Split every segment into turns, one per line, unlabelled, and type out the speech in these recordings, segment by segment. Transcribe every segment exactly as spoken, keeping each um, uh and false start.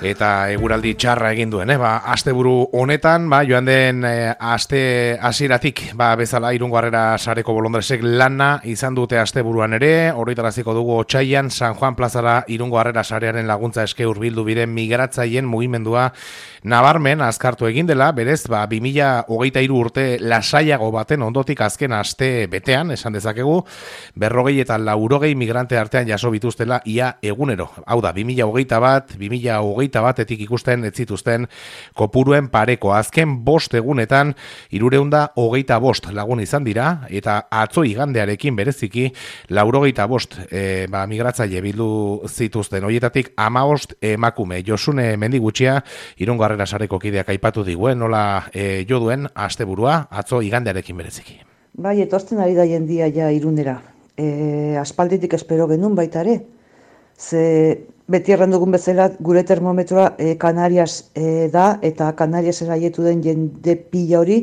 eta eguraldi txarra egin duen, eh? Ba, asteburu honetan, ba, joan den eh, aste hasieratik, ba, bezala Irungo Harrera Sareko Bolondresek lana izan dute asteburuan ere, horretaraziko dugu otsailean San Juan plazara Irungo Harrera Sarearen laguntza eske hurbildu biren migratzaileen mugimendua nabarmen azkartu egin dela, berez, ba, bi mila hogeita hiru urte lasaiago baten ondotik azken aste betean, esan dezakegu, berrogei eta laurogei migrante artean jaso bituztela ia egunero. Hau da, bi mila hogeita bat, bi mila hogeita batetik ikusten ez zituzten kopuruen pareko. Azken bost egunetan hirureunda hogeita bost lagun izan dira, eta atzo igandearekin bereziki laurogeita bost e, ba, migratzaile bildu zituzten. Horietatik hamabost emakume. Josune Mendigutxia, Irungo Harrera Sareko kideak aipatu diguen, nola e, jo duen asteburua atzo igandearekin bereziki.
Bai, etortzen ari da jendia ja Irunera. E, aspalditik espero genuen baita ere. Ze beti erran dugun bezala gure termometroa e, Canarias e, da, eta Canarias eraietu den jende pila hori,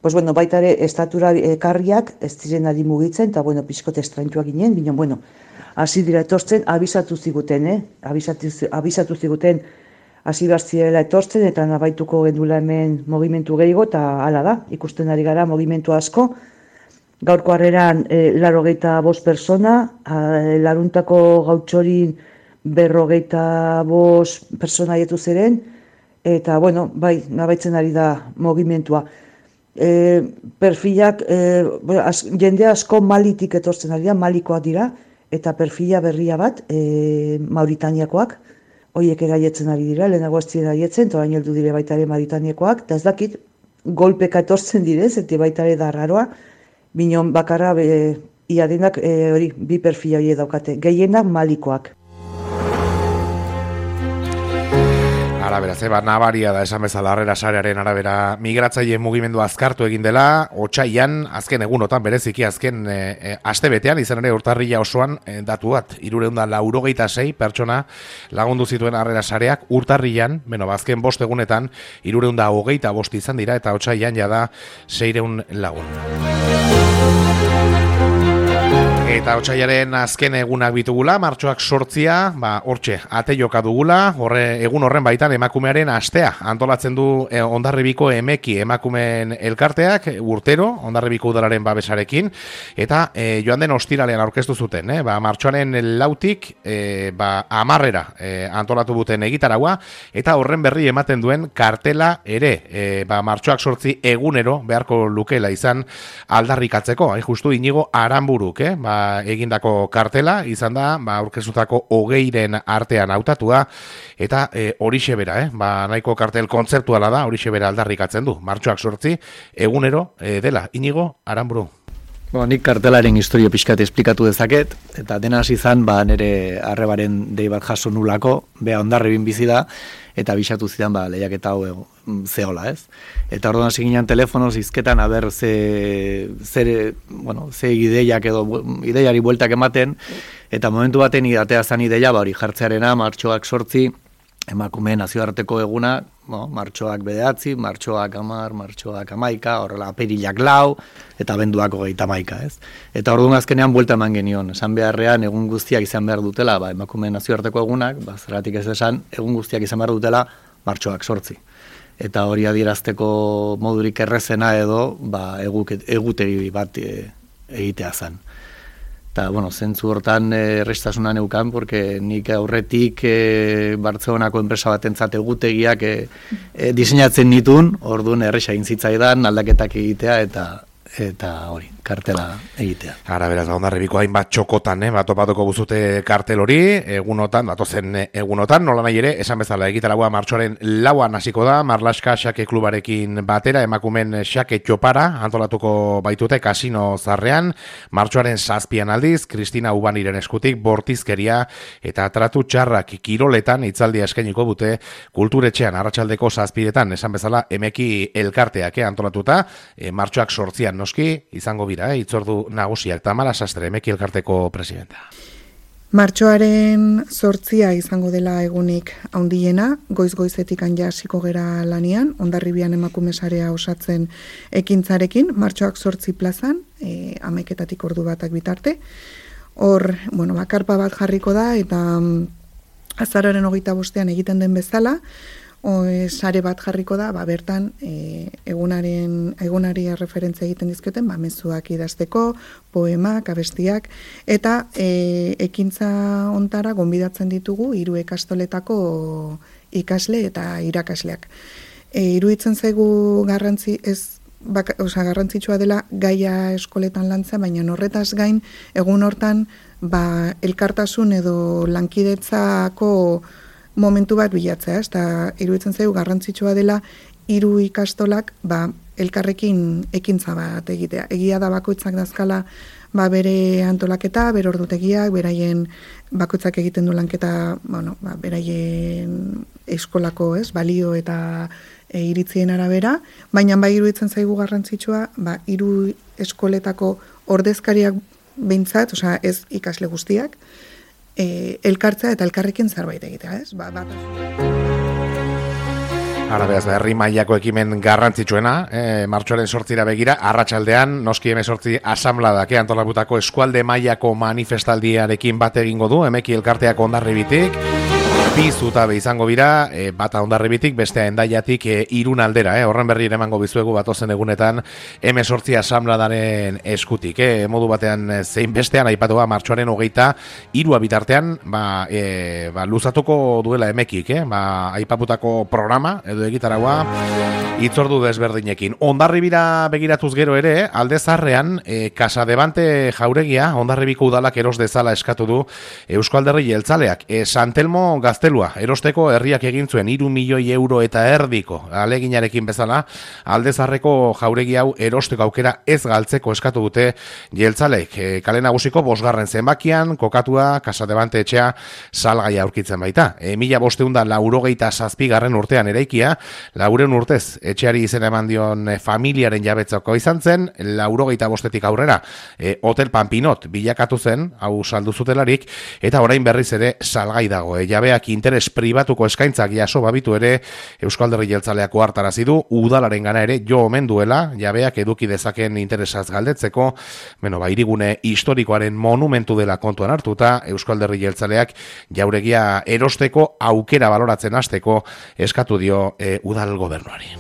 pues bueno, baita ere estatura ekarriak ez diren ari mugitzen, eta bueno, pixkote estraintua ginen, bino, bueno, hasi dira etortzen, abisatu ziguten, eh? Abisatu, abisatu ziguten, hasi behar zirela etortzen, eta nabaituko gendula hemen mogimentu gehiago, eta hala da, ikusten ari gara mogimentu asko. Gaurko harreran e, larogeita bost persona, e, laruntako gautxorin berrogeita bost persona haietu ziren, eta, bueno, bai, nabaitzen ari da mogimentua. E, perfilak, e, az, jende asko Malitik etortzen ari da, Malikoak dira, eta perfila berria bat, e, Mauritaniakoak, horiek eraietzen ari dira, lehenago ez ziren eraietzen, eta orain heldu dire baita ere Mauritaniakoak, eta ez dakit, golpeka etortzen direz, eta baita ere da raroa, binon bakarra, e, ia denak, e, hori, bi perfila hori daukate, gehienak Malikoak.
Arabera, zeba, nabaria da esan bezala Harrera Sarearen arabera migratzaile mugimendu azkartu egin dela, otsailean, azken egunotan, bereziki azken e, e, aste betean, izan ere urtarrila osoan e, datu bat, hirureunda laurogeita sei pertsona lagundu zituen Harrera Sareak urtarrilan, beno, azken bost egunetan, hirureunda hogeita bost izan dira, eta otsailean jada seireun lagun. Eta otsailaren azken egunak bitugula, martxoak sortzia, ba, hortxe, ate joka dugula, horre, egun horren baitan emakumearen astea. Antolatzen du eh, Hondarribiko Emeki emakumeen elkarteak, urtero, Hondarribiko udalaren babesarekin, eta eh, joan den ostiralean aurkeztu zuten, eh? Ba, martxoaren lautik, eh, ba, amarrera eh, antolatu buten egitaragua, eta horren berri ematen duen kartela ere, eh, ba, martxoak sortzi egunero beharko lukela izan aldarrikatzeko, hain justu Inigo Aranburuk, eh? Ba, egindako kartela izan da, ba, aurkezutako hogeiren artean hautatua, eta e, horixe bera, eh? Ba, nahiko kartel kontzeptuala da, horixe bera aldarrikatzen du. Martxoak sortzi, egunero e, dela. Inigo Aranburu.
Bo, nik kartelaren historio pixkat esplikatu dezaket, eta dena hasi izan, ba, nire arrebaren dei bat jaso nulako, bea Hondarribin bizi da, eta bisatu zidan, ba, lehiaketa hau zehola, ez? Eta orduan hasi ginen telefonoz izketan, aber, ze, ze, bueno, ze ideiak edo, ideiari bueltak ematen, eta momentu baten atea zan ideia, ba, hori jartzearena, martxoak sortzi, emakumeen nazioarteko eguna, no, martxoak bederatzi, martxoak amar, martxoak amaika, horrela aperilak lau, eta abenduak hogeita amaika, ez? Eta orduan azkenean buelta eman genion, esan beharrean egun guztiak izan behar dutela, ba, emakumeen nazioarteko egunak, ba, zergatik ez esan, egun guztiak izan behar dutela, martxoak sortzi. Eta hori adierazteko modurik errezena edo, ba, egutegi bat e, egitea zen. Eta, bueno, zentzu hortan errestasuna neukan, porque nik aurretik e, Bartzelonako enpresa batentzat egutegiak e, e, diseinatzen nitun, orduan erresa egin zitzaidan aldaketak egitea eta eta hori, kartela egitea.
Ara, beraz, Hondarribiko hainbat txokotan, eh, bat topatuko buzute kartel hori, egunotan, datozen egunotan, nola nahi ere, esan bezala egitaragua martxoaren lauan hasiko da, Marlaska Xake Klubarekin batera, emakumen Xake Txopara, antolatuko baitute kasino zarrean, martxoaren zazpian aldiz, Kristina Ubaniren eskutik, bortizkeria eta tratu txarrak kiroletan itzaldia eskainiko dute kulturetxean, arratsaldeko zazpiretan, esan bezala, Emeki elkarteak eh, antolatuta, eh, martxoak sortzian noski, izango bira, eh, itzordu nagusiak, Tamara Sastre, Emeki elkarteko presidenta.
Martxoaren sortzia izango dela egunik handiena, goiz-goizetik anja hasiko gera lanian, Hondarribian emakume sarea osatzen ekintzarekin, martxoak sortzi plazan, e, ameketatik ordu batak bitarte. Hor, bueno, bakarpa bat jarriko da, eta azaroaren hogeita bostean egiten den bezala, o, e, sare bat jarriko da, ba, bertan e, egunaren, egunari referentzia egiten dizkioten, ba, mezuak idazteko, poemak, abestiak, eta e, ekintza ontara gonbidatzen ditugu hiru ikastoletako ikasle eta irakasleak. E, iruditzen zaigu garrantzi ez Bak, oza, garrantzitsua dela gaia eskoletan lantzea, baina horretaz gain, egun hortan, ba, elkartasun edo lankidetzako momentu bat bilatzea, ez? Eta iruditzen zaigu garrantzitsua dela hiru ikastolak, ba, elkarrekin ekintza bat egitea. Egia da bakoitzak dazkala, ba, bere antolaketa, bere ordutegiak, beraien bakoitzak egiten du lanketa, bueno, ba, beraien eskolako, ez, balio eta e, iritzien arabera, baina bai iruditzen zaigu garrantzitsua, ba, hiru eskoletako ordezkariak behintzat, osea, ez ikasle guztiak, e, elkartzea eta elkarrekin zerbait egitea, ez? Ba, bat
Ara beraz, herri mailako ekimen garrantzitsuena, eh, martxoaren sortzira begira, arratsaldean noski hemezortzi asamladak eh, antolakutako eskualde mailako manifestaldiarekin bat egingo du, emeki elkarteak Hondarribitik, bi zutabe izango bira, e, bata Hondarribitik, bestea Hendaiatik e, Irun aldera, eh, horren berri emango bizuegu batozen egunetan hemezortzi asamladaren eskutik, eh, modu batean zein bestean aipatua martxoaren hogeita hirua bitartean, ba, e, ba, luzatuko duela emekik, eh, ba, aipaputako programa, edo egitaragua, itzordu desberdinekin. Hondarribira begiratuz gero ere, alde zarrean, e, Casadevante jauregia, Hondarribiko udalak eros dezala eskatu du Eusko Alderdi Jeltzaleak. E, Santelmo gaztelua, erosteko herriak egin zuen hiru milioi euro eta erdiko aleginarekin bezala, alde zarreko jauregi hau erosteko aukera ez galtzeko eskatu dute Jeltzaleek. E, kale nagusiko bosgarren zenbakian, kokatua Casadevante etxea salgai aurkitzen baita. E, mila bosteunda laurogeita zazpigarren urtean eraikia, laureun urtez etxeari izena eman dion familiaren jabetzako izan zen, laurogeita bostetik aurrera e, Hotel Pampinot bilakatu zen, hau saldu zutelarik, eta orain berriz ere salgai dago. E, jabeak interes pribatuko eskaintzak jaso babitu ere Eusko Alderdi Jeltzaleako hartarazi du, udalaren gana ere jo omen duela, jabeak eduki dezaken interesaz galdetzeko, beno, ba, hirigune historikoaren monumentu dela kontuan hartuta, Eusko Alderdi Jeltzaleak jauregia erosteko aukera baloratzen hasteko eskatu dio e, udal gobernuari.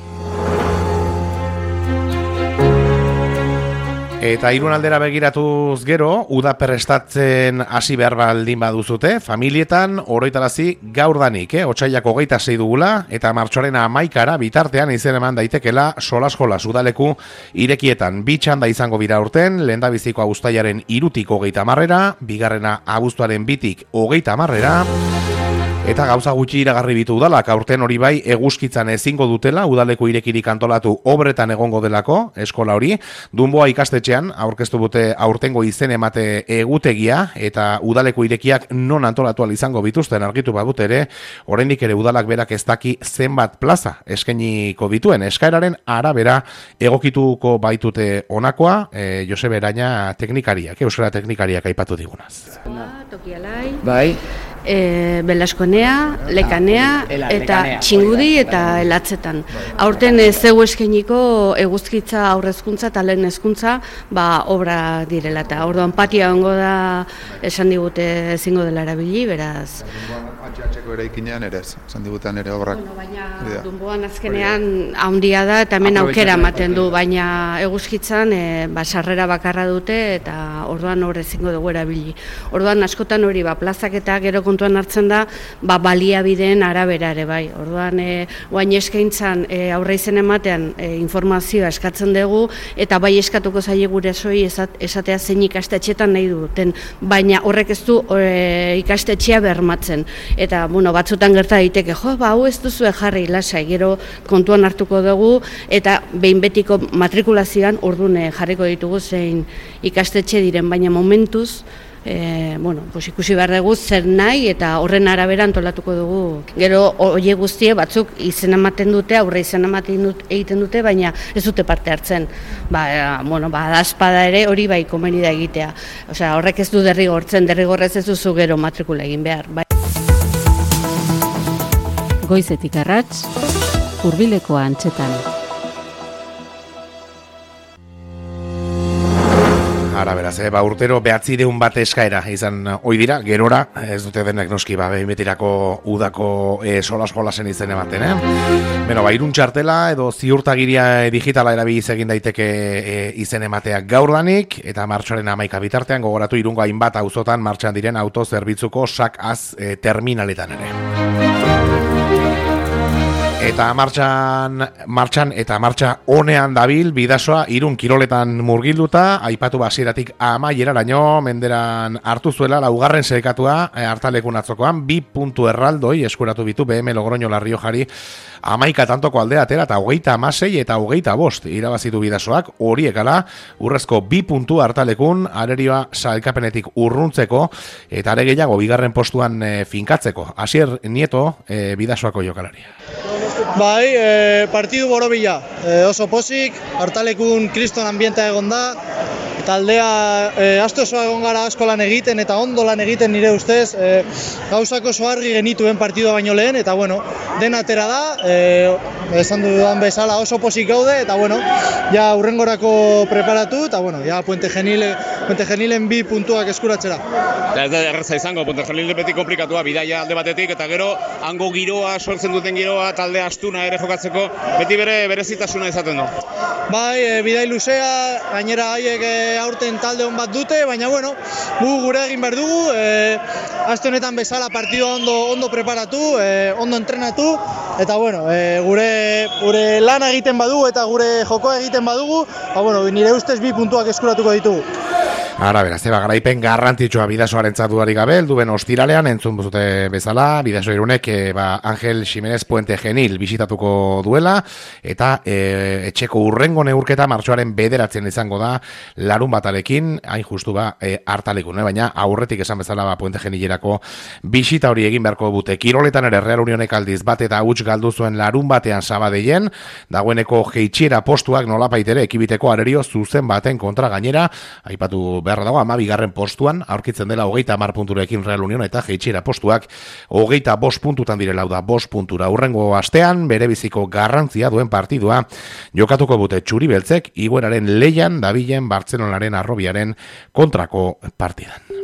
Eta Irun aldera begiratuz gero, uda prestatzen hasi behar baldin baduzute, familietan oroitarazi gaurdanik, eh? Otsailak hogeita sei dugula, eta martxoaren hamaikara bitartean izen eman daitekela solas-jolas udaleku irekietan. Bi txanda izango bira urten, lehendabiziko abuztaiaren irutik hogeita marrera, bigarrena abuztuaren bitik hogeita marrera, eta gauza gutxi iragarri bitu udalak, aurten hori bai eguzkitzan ezingo dutela, udaleku irekirik antolatu obretan egongo delako, eskola hori, Dunboa ikastetxean, aurkeztu dute aurtengo izen emate egutegia, eta udaleku irekiak non antolatu izango bituzten argitu badut ere, oraindik ere udalak berak ez daki zenbat plaza eskainiko dituen, eskaeraren arabera egokituko baitute honakoa, e, Josebe Eraña teknikariak, euskara teknikariak aipatu digunaz.
Tokialai.
Bai.
E, Belaskonea, Lekanea eta Txingudi eta Elatzetan. Aurten ez zeu eskainiko eguzkitza aurrezkuntza eta lehen hezkuntza ba, obra direla eta orduan patia ongo da esan digute ezingo dela erabili, beraz.
Antxatxeko eraikinean ere ez, esan digutean ere obrak.
Bueno, baina Dunboan azkenean handia da eta hemen aukera ematen du, baina eguzkitzan e, ba, sarrera bakarra dute eta orduan hor ezingo dugu erabili. Orduan askotan hori ba, plazak eta gero kontuan hartzen da, ba, baliabideen arabera ere bai. Orduan, e, oain eskaintzan e, aurre izen ematean e, informazioa eskatzen dugu, eta bai eskatuko zaie gure soi esatea zein ikastetxetan nahi duten, baina horrek ez du e, ikastetxea bermatzen. Eta, bueno, batzutan gerta daiteke, jo, ba, hau ez duzu jarri lasai, gero kontuan hartuko dugu, eta behin betiko matrikulazioan ordune jarriko ditugu zein ikastetxe diren, baina momentuz, E, bueno, pues ikusi behar dugu zer nahi eta horren arabera antolatuko dugu. Gero hoe guztie batzuk izen ematen dute, aurre izen ematen dut, egiten dute, baina ez dute parte hartzen. Ba, e, bueno, ba, adazpada ere hori bai komeni da egitea. Osea, horrek ez du derrigortzen, derrigorrez ez duzu gero matrikula egin behar. Bai.
Goizetik arrats, hurbilekoa antzetan.
Ara beraz, eh, ba, urtero behatzireun bat eskaera izan ohi dira, gerora, ez dute denak noski, ba, behimetirako udako e, solas-jolasen izen ematen, eh? Beno, ba, irun txartela edo ziurtagiria digitala erabiliz egin daiteke e, izen emateak gaurdanik, eta martxoaren hamaika bitartean gogoratu irungo hainbat auzotan martxan diren autozerbitzuko sak-az e, terminaletan ere. Eta martxan, martxan eta martxa honean dabil bidasoa Irun kiroletan murgilduta, aipatu basieratik amaieraraino menderan hartu zuela laugarren sailkatua hartalekun atzokoan, bi puntu erraldoi eskuratu bitu B M Logroño La Riojari amaika tantoko aldea atera eta hogeita hamasei eta hogeita bost irabazitu bidasoak, horiekala urrezko bi puntu hartalekun arerioa sailkapenetik urruntzeko eta are gehiago bigarren postuan e, finkatzeko. Asier Nieto e, bidasoako jokalaria.
Bai, e, partidu borobila, e, oso pozik, hartalekun kriston ambienta egon da, taldea e, aste osoa egon gara asko lan egiten eta ondo lan egiten nire ustez, e, gauzako oso argi genituen partidua baino lehen, eta bueno, dena atera da, e, esan dudan bezala oso pozik gaude, eta bueno, ja urrengorako preparatu, eta bueno, ja Puente Genile, Puente Genilen bi puntuak eskuratzera.
Ez da erraza izango, Puente Genile beti komplikatua, bidaia alde batetik, eta gero hango giroa, sortzen duten giroa, talde astuna ere jokatzeko, beti bere berezitasuna izaten du.
Bai, e, bidai luzea, gainera haiek e, aurten talde hon bat dute, baina bueno, gu gure egin behar dugu, e, aste honetan bezala partidua ondo, ondo preparatu, e, ondo entrenatu, eta bueno, e, gure, gure lana egiten badugu eta gure jokoa egiten badugu, ba, bueno, nire ustez bi puntuak eskuratuko ditugu.
Ara, beraz, eba, garaipen garrantzitsua bidasoaren dudarik gabe, duen ostiralean, entzun buzute bezala, bidaso irunek, e, ba, Angel Ximenez Puente Genil bisitatuko duela, eta e, etxeko urrengo neurketa martxoaren bederatzen izango da, larun batarekin, hain justu ba, e, hartalekun, eh? Baina aurretik esan bezala ba, Puente Genilerako bisita hori egin beharko bute. Kiroletan ere Real Unionek aldiz bat eta huts galdu zuen larun batean Sabadeien, dagoeneko jeitxiera postuak nolapaitere ekibiteko arerio zuzen baten kontra gainera, aipatu beharra dago, ama bigarren postuan, aurkitzen dela hogeita hamar punturekin Real Union eta jeitxiera postuak hogeita bost puntutan direla da bost puntura. Urrengo astean, bere biziko garrantzia duen partidua, jokatuko bute txuri beltzek, igueraren leian dabilen Bartzelonaren arrobiaren kontrako partidan.